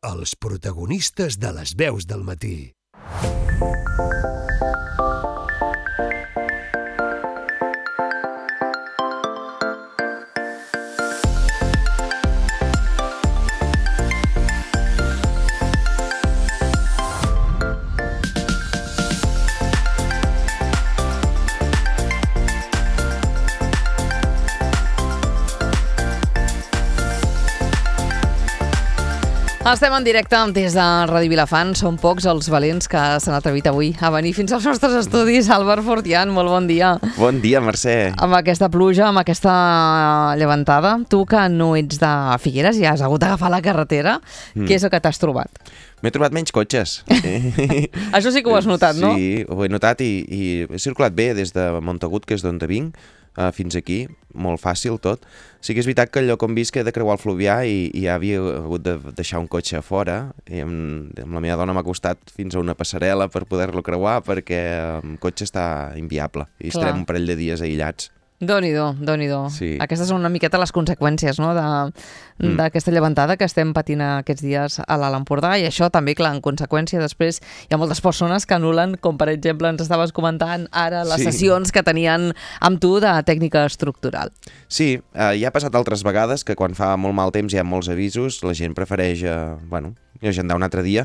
Els protagonistes de les veus del matí. Estem en directe des de Ràdio Vilafant. Són pocs els valents que s'han atrevit avui a venir fins als nostres estudis. Álvar Fortián, molt bon dia. Bon dia, Mercè. Amb aquesta pluja, amb aquesta llevantada, tu que no ets de Figueres i has hagut d'agafar la carretera, què és el que t'has trobat? M'he trobat menys cotxes. Això sí que ho has notat, no? Sí, ho he notat i he circulat bé des de Montagut, que és d'on vinc, fins aquí, molt fàcil tot. Sí que és veritat que allò com visc he de creuar el Fluvià i ja havia hagut de deixar un cotxe a fora i amb la meva dona m'ha costat fins a una passarel·la per poder-lo creuar perquè el cotxe està inviable i estarem un parell de dies aïllats. Dóni-do, dóni-do. Sí. Aquestes són una miqueta les conseqüències, no?, d'aquesta llevantada que estem patint aquests dies a l'Alt Empordà, i això també, clar, en conseqüència després hi ha moltes persones que anulen, com per exemple ens estaves comentant ara les sessions que tenien amb tu de tècnica estructural. Sí, ja ha passat altres vegades que quan fa molt mal temps hi ha molts avisos, la gent prefereix, agendar un altre dia,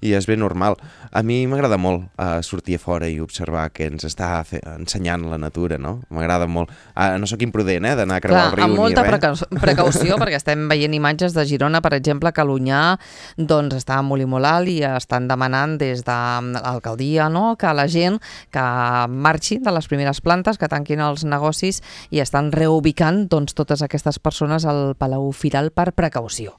i és ben normal. A mi m'agrada molt sortir a fora i observar què ens està ensenyant la natura, no? M'agrada molt. No sóc imprudent, d'anar a creuar el riu amb molta ni res. precaució, perquè estem veient imatges de Girona, per exemple, que l'Onyar doncs, està molt i molt alt i estan demanant des de l'alcaldia, no?, que la gent que marxi de les primeres plantes, que tanquin els negocis i estan reubicant doncs, totes aquestes persones al Palau Firal per precaució.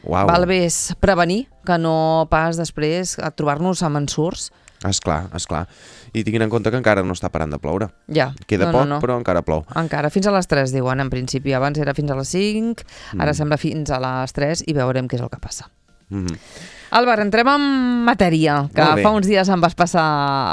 Uau. Val més prevenir que no pas després a trobar-nos amb ensurts. Esclar. I tinguin en compte que encara no està parant de ploure. Ja. Queda poc, però encara plou. Encara, fins a les 3, diuen, en principi. Abans era fins a les 5, ara sembla fins a les 3 i veurem què és el que passa. Álvar, entrem en matèria, que fa uns dies em vas passar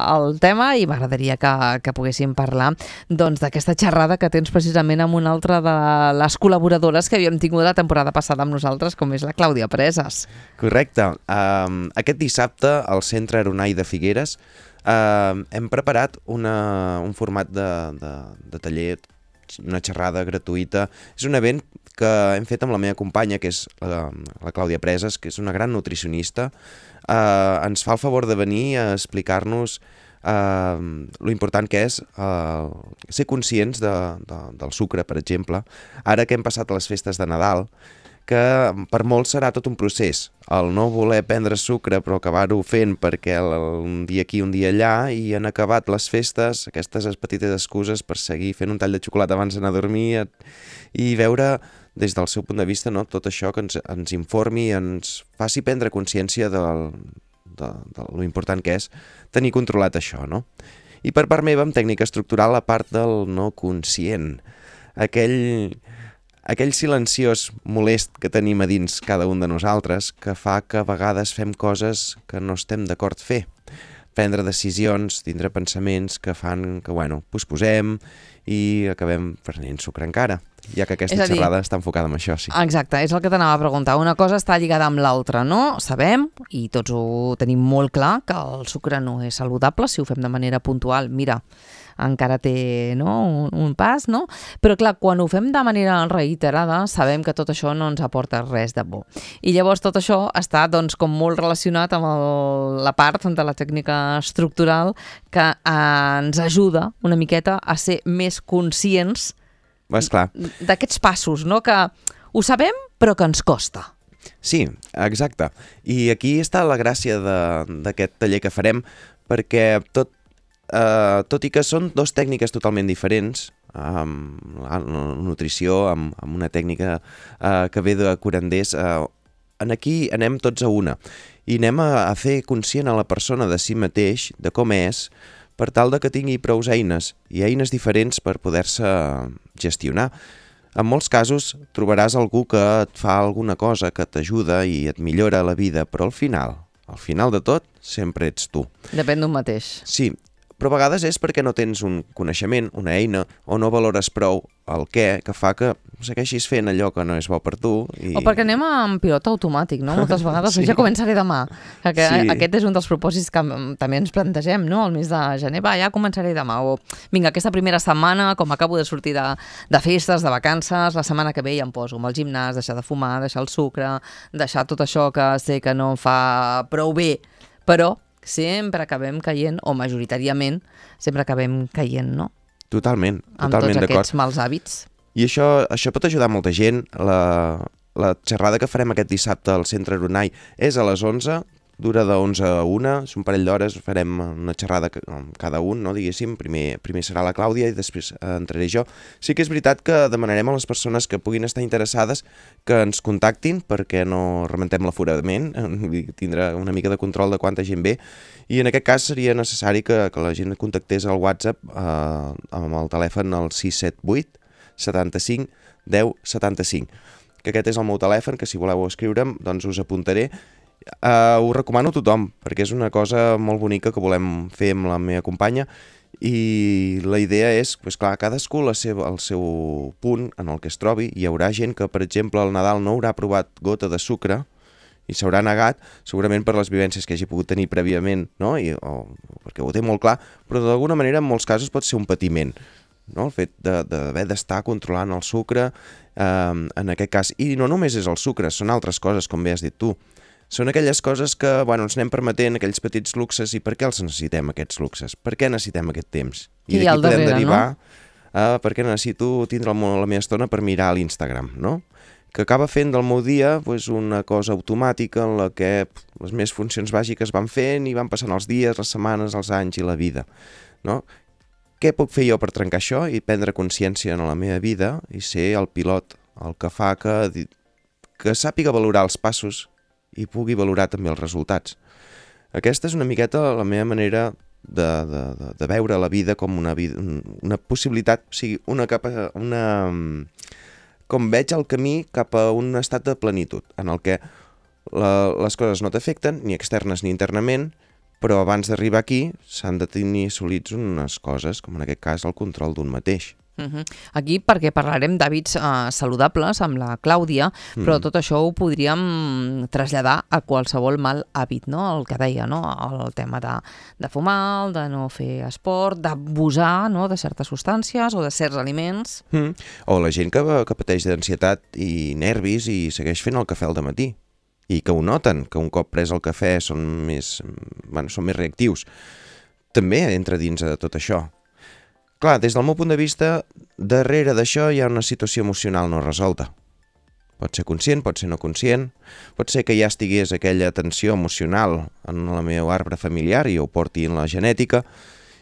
el tema i m'agradaria que poguéssim parlar doncs, d'aquesta xerrada que tens precisament amb una altra de les col·laboradores que havíem tingut la temporada passada amb nosaltres, com és la Clàudia Preses. Correcte. Aquest dissabte al Centre Aeronai de Figueres hem preparat un format de taller, una xerrada gratuïta. És un event que hem fet amb la meva companya, que és la Clàudia Preses, que és una gran nutricionista. Ens fa el favor de venir a explicar-nos lo important que és ser conscients del sucre, per exemple. Ara que hem passat les festes de Nadal, que per molts serà tot un procés. El no voler prendre sucre però acabar-ho fent perquè un dia aquí, un dia allà, i han acabat les festes, aquestes petites excuses per seguir fent un tall de xocolata abans d'anar a dormir i veure des del seu punt de vista, no, tot això que ens informi, ens faci prendre consciència de lo important que és tenir controlat això, no? I per part meva, amb tècnica estructural, a part del no conscient, aquell silenciós molest que tenim a dins cada un de nosaltres que fa que a vegades fem coses que no estem d'acord fer. Prendre decisions, tindre pensaments que fan que, posposem i acabem prenent sucre encara, ja que aquesta xerrada està enfocada en això, sí. Exacte, és el que t'anava a preguntar. Una cosa està lligada amb l'altra, no? Sabem, i tots ho tenim molt clar, que el sucre no és saludable si ho fem de manera puntual. Mira, encara té un pas, no? Però clar, quan ho fem de manera reiterada, sabem que tot això no ens aporta res de bo. I llavors tot això està doncs, com molt relacionat amb la part de la tècnica estructural que ens ajuda una miqueta a ser més conscients d'aquests passos, no? Que ho sabem però que ens costa. Sí, exacte. I aquí està la gràcia d'aquest taller que farem, perquè tot i que són dues tècniques totalment diferents, la nutrició, amb una tècnica que ve de curanders, aquí anem tots a una i anem a fer conscient a la persona de si mateix, de com és, per tal de que tingui prou eines i eines diferents per poder-se gestionar. En molts casos trobaràs algú que et fa alguna cosa que t'ajuda i et millora la vida, però al final de tot sempre ets tu. Depèn d'un mateix. Sí, però a vegades és perquè no tens un coneixement, una eina, o no valores prou el què, que fa que segueixis fent allò que no és bo per tu. O perquè anem en pilot automàtic, no? Moltes vegades, ja començaré demà. Aquest és un dels propòsits que també ens plantegem, no? El mes de gener, ja començaré demà. O, vinga, aquesta primera setmana, com acabo de sortir de festes, de vacances, la setmana que ve ja em poso amb el gimnàs, deixar de fumar, deixar el sucre, deixar tot això que sé que no em fa prou bé, però sempre acabem caient, o majoritàriament sempre acabem caient, no? Totalment amb tots d'acord. Aquests mals hàbits. I això pot ajudar molta gent. La xerrada que farem aquest dissabte al Centre Aronai és a les 11, dura de 11 a 1, és un parell d'hores, farem una xerrada cada un, no, diguéssim. Primer serà la Clàudia i després entraré jo. Sí que és veritat que demanarem a les persones que puguin estar interessades que ens contactin perquè no rementem l'aforament, tindrà una mica de control de quanta gent ve, i en aquest cas seria necessari que la gent contactés al WhatsApp amb el telèfon al 678 75 10 75, que aquest és el meu telèfon, que si voleu escriure'm doncs us apuntaré. Ho recomano a tothom, perquè és una cosa molt bonica que volem fer amb la meva companya, i la idea és, doncs clar, cadascú el seu punt en el que es trobi. Hi haurà gent que, per exemple, al Nadal no haurà provat gota de sucre i s'haurà negat, segurament per les vivències que hagi pogut tenir prèviament, no? O perquè ho té molt clar, però d'alguna manera en molts casos pot ser un patiment, no? El fet d'haver d'estar controlant el sucre, en aquest cas. I no només és el sucre, són altres coses, com bé has dit tu. Són aquelles coses que ens anem permetent, aquells petits luxes, i per què els necessitem, aquests luxes? Per què necessitem aquest temps? I d'aquí podem derivar per què necessito tindre la meva estona per mirar a l'Instagram, no? Que acaba fent del meu dia una cosa automàtica en la que les meves funcions bàsiques van fent i van passant els dies, les setmanes, els anys i la vida, no? Què puc fer jo per trencar això i prendre consciència en la meva vida i ser el pilot, el que fa que sàpiga valorar els passos i pugui valorar també els resultats. Aquesta és una miqueta la meva manera de veure la vida com una possibilitat, o sigui, com veig el camí cap a un estat de plenitud, en el que les coses no t'afecten, ni externes ni internament, però abans d'arribar aquí s'han de tenir assolits unes coses, com en aquest cas el control d'un mateix. Aquí perquè parlarem d'hàbits saludables amb la Clàudia, però tot això ho podríem traslladar a qualsevol mal hàbit, no? El que deia, no? El tema de fumar, de no fer esport, d'abusar, no? De certes substàncies o de certs aliments. O la gent que pateix d'ansietat i nervis i segueix fent el cafè al dematí i que ho noten, que un cop pres el cafè són més reactius. També entra dins de tot això. Clar, des del meu punt de vista, darrere d'això hi ha una situació emocional no resolta. Pot ser conscient, pot ser no conscient, pot ser que ja estigués aquella tensió emocional en el meu arbre familiar i ho porti en la genètica,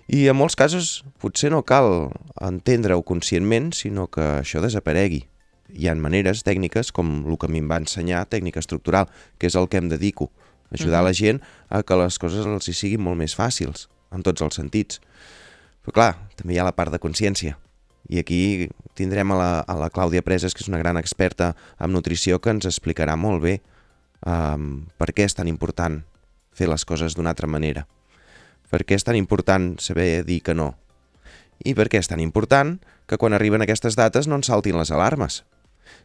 i en molts casos potser no cal entendre-ho conscientment, sinó que això desaparegui. Hi ha maneres, tècniques, com el que a mi em va ensenyar, tècnica estructural, que és el que em dedico, ajudar la gent a que les coses els hi siguin molt més fàcils, en tots els sentits. Però clar, també hi ha la part de consciència. I aquí tindrem a la Clàudia Preses, que és una gran experta en nutrició, que ens explicarà molt bé per què és tan important fer les coses d'una altra manera. Per què és tan important saber dir que no. I per què és tan important que quan arriben aquestes dates no ens saltin les alarmes.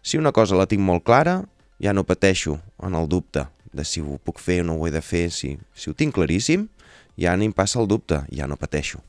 Si una cosa la tinc molt clara, ja no pateixo en el dubte de si ho puc fer o no ho he de fer. Si ho tinc claríssim, ja ni em passa el dubte, ja no pateixo.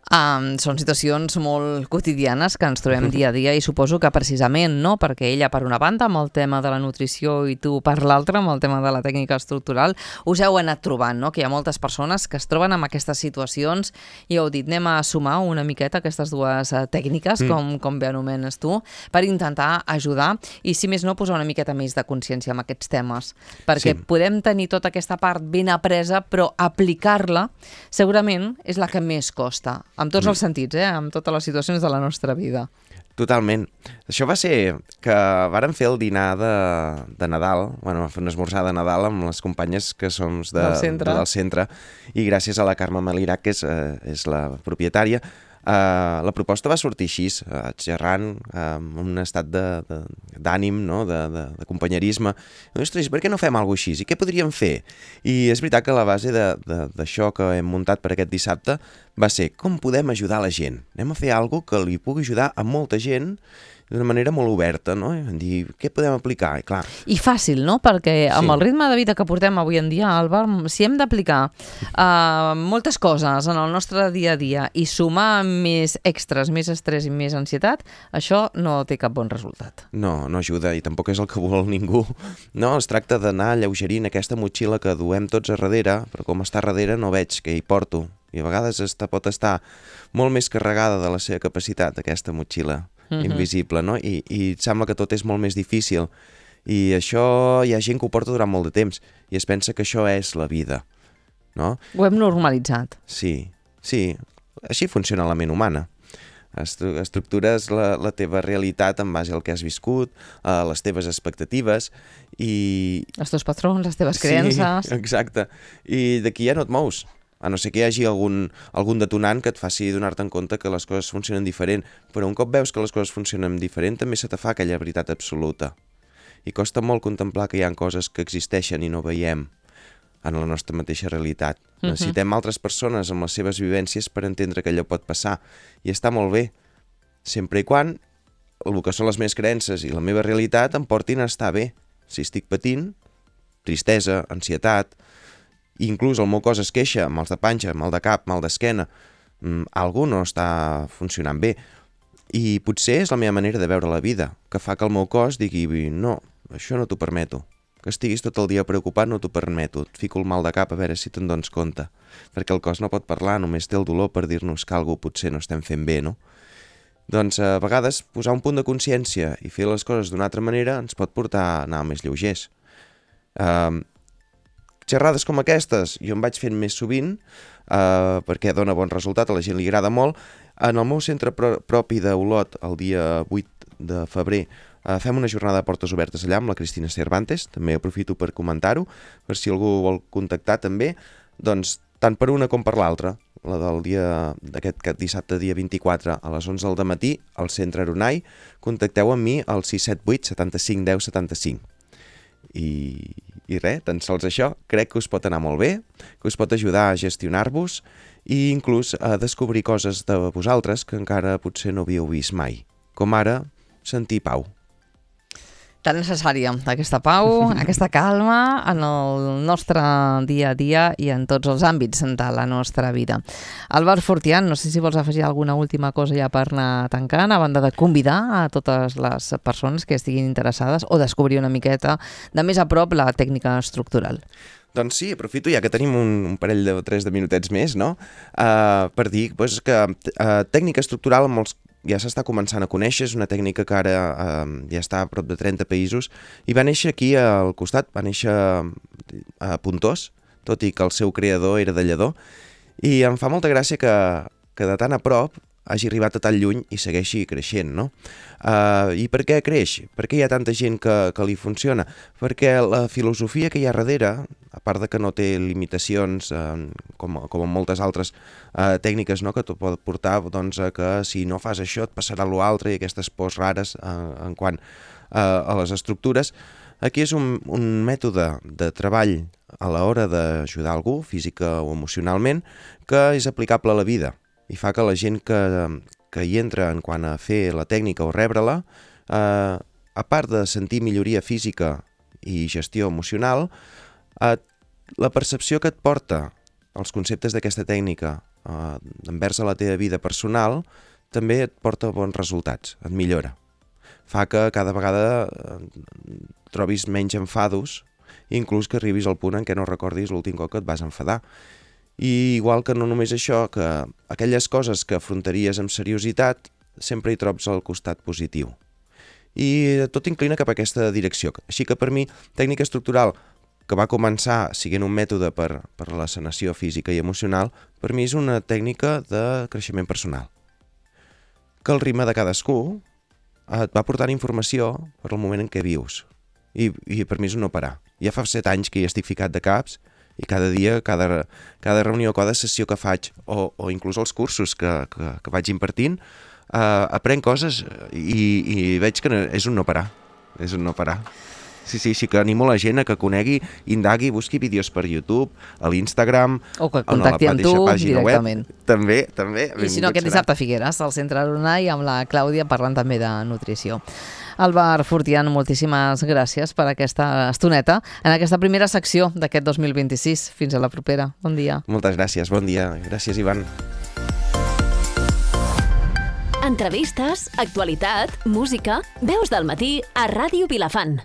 Són situacions molt quotidianes que ens trobem dia a dia i suposo que precisament, no? Perquè ella per una banda amb el tema de la nutrició i tu per l'altra amb el tema de la tècnica estructural us heu anat trobant, no? Que hi ha moltes persones que es troben en aquestes situacions i heu dit anem a sumar una miqueta aquestes dues tècniques, com bé anomenes tu, per intentar ajudar i si més no posar una miqueta més de consciència en aquests temes, perquè podem tenir tota aquesta part ben apresa però aplicar-la segurament és la que més costa. Amb tots els sentits, amb totes les situacions de la nostra vida. Totalment. Això va ser que vàrem fer el dinar de Nadal, fer un esmorzar de Nadal amb les companyes que som del centre, i gràcies a la Carme Malirac, que és la propietària, La proposta va sortir així, xerrant, amb un estat d'ànim, no? de companyerisme. Ostres, per què no fem alguna cosa així? I què podríem fer? I és veritat que la base d'això que hem muntat per aquest dissabte va ser com podem ajudar la gent. Anem a fer alguna cosa que li pugui ajudar a molta gent d'una manera molt oberta, no? Dir, què podem aplicar? I, clar, I fàcil, no? Perquè amb el ritme de vida que portem avui en dia, Àlvar, si hem d'aplicar moltes coses en el nostre dia a dia i sumar més extras, més estrès i més ansietat, això no té cap bon resultat. no ajuda i tampoc és el que vol ningú. No, es tracta d'anar alleugerint aquesta motxilla que duem tots a darrere, però com està a darrere no veig què hi porto. I a vegades pot estar molt més carregada de la seva capacitat, aquesta motxilla invisible, no? I sembla que tot és molt més difícil. I això hi ha gent que ho porta durant molt de temps i es pensa que això és la vida, no? Ho hem normalitzat. Sí, així funciona la ment humana. Estructures la teva realitat en base al que has viscut, les teves expectatives i... Els teus patrons, les teves creences... Sí, exacte. I d'aquí ja no et mous. A no ser que hi hagi algun detonant que et faci donar-te en compte que les coses funcionen diferent. Però un cop veus que les coses funcionen diferent, també se te fa aquella veritat absoluta. I costa molt contemplar que hi ha coses que existeixen i no veiem en la nostra mateixa realitat. Necessitem altres persones amb les seves vivències per entendre que allò pot passar. I està molt bé, sempre i quan el que són les meves creences i la meva realitat em portin a estar bé. Si estic patint, tristesa, ansietat, i inclús el meu cos es queixa, mals de panxa, mal de cap, mal d'esquena, algú no està funcionant bé. I potser és la meva manera de veure la vida, que fa que el meu cos digui, no, això no t'ho permeto. Que estiguis tot el dia preocupat no t'ho permeto. Et fico el mal de cap a veure si te'n dones compte. Perquè el cos no pot parlar, només té el dolor per dir-nos que alguna potser no estem fent bé, no? Doncs a vegades posar un punt de consciència i fer les coses d'una altra manera ens pot portar a anar més lleugers. Xerrades com aquestes jo em vaig fent més sovint perquè dona bon resultat, a la gent li agrada molt. En el meu centre propi d'Olot, el dia 8 de febrer, fem una jornada de portes obertes allà amb la Cristina Cervantes, també aprofito per comentar-ho, per si algú vol contactar també, doncs tant per una com per l'altra, la del dia d'aquest dissabte dia 24 a les 11 del matí al centre Aronai, contacteu amb mi al 678 75 10 75. I res, tan sols això, crec que us pot anar molt bé, que us pot ajudar a gestionar-vos i inclús a descobrir coses de vosaltres que encara potser no havíeu vist mai, com ara sentir pau. Tan necessària, aquesta pau, aquesta calma en el nostre dia a dia i en tots els àmbits de la nostra vida. Àlvar Fortián, no sé si vols afegir alguna última cosa ja per anar tancant, a banda de convidar a totes les persones que estiguin interessades o descobrir una miqueta de més a prop la tècnica estructural. Doncs sí, aprofito ja que tenim un parell de 3 minutets més, no? Per dir que tècnica estructural ja s'està començant a conèixer, és una tècnica que ara ja està a prop de 30 països i va néixer aquí al costat, va néixer a Pontós, tot i que el seu creador era de Lledó, i em fa molta gràcia que de tan a prop hagi arribat a tan lluny i segueixi creixent, no? I per què creix? Per què hi ha tanta gent que li funciona? Perquè la filosofia que hi ha darrere, a part de que no té limitacions com en moltes altres tècniques, no? Que t'ho pot portar doncs, que si no fas això et passarà l'altre i aquestes pors rares en quant a les estructures, aquí és un mètode de treball a l'hora d'ajudar algú, física o emocionalment, que és aplicable a la vida i fa que la gent que hi entra en quant a fer la tècnica o rebre-la, a part de sentir milloria física i gestió emocional, la percepció que et porta els conceptes d'aquesta tècnica envers a la teva vida personal també et porta bons resultats, et millora. Fa que cada vegada trobis menys enfados i inclús que arribis al punt en què no recordis l'últim cop que et vas enfadar. I igual que no només això, que aquelles coses que afrontaries amb seriositat sempre hi trobs al costat positiu. I tot inclina cap a aquesta direcció. Així que per mi, tècnica estructural, que va començar siguent un mètode per la sanació física i emocional, per mi és una tècnica de creixement personal. Que el ritme de cadascú et va portant informació per al moment en què vius. I per mi és un no parar. Ja fa 7 anys que hi estic ficat de caps I cada dia, cada reunió, cada sessió que faig, o inclús els cursos que vaig impartint, aprenc coses i veig que és un no parar. És un no parar. Sí que animo la gent a que conegui, indagui, busqui vídeos per YouTube, a l'Instagram, o que contacti amb tu directament. Web. També. I si no, aquest dissabte a Figueres, al Centre Aronai, amb la Clàudia parlant també de nutrició. Álvar Fortián, moltíssimes gràcies per aquesta estoneta en aquesta primera secció d'aquest 2026. Fins a la propera. Bon dia. Moltes gràcies, bon dia. Gràcies, Ivan. Entrevistes, actualitat, música, Veus del Matí a Ràdio Vilafant.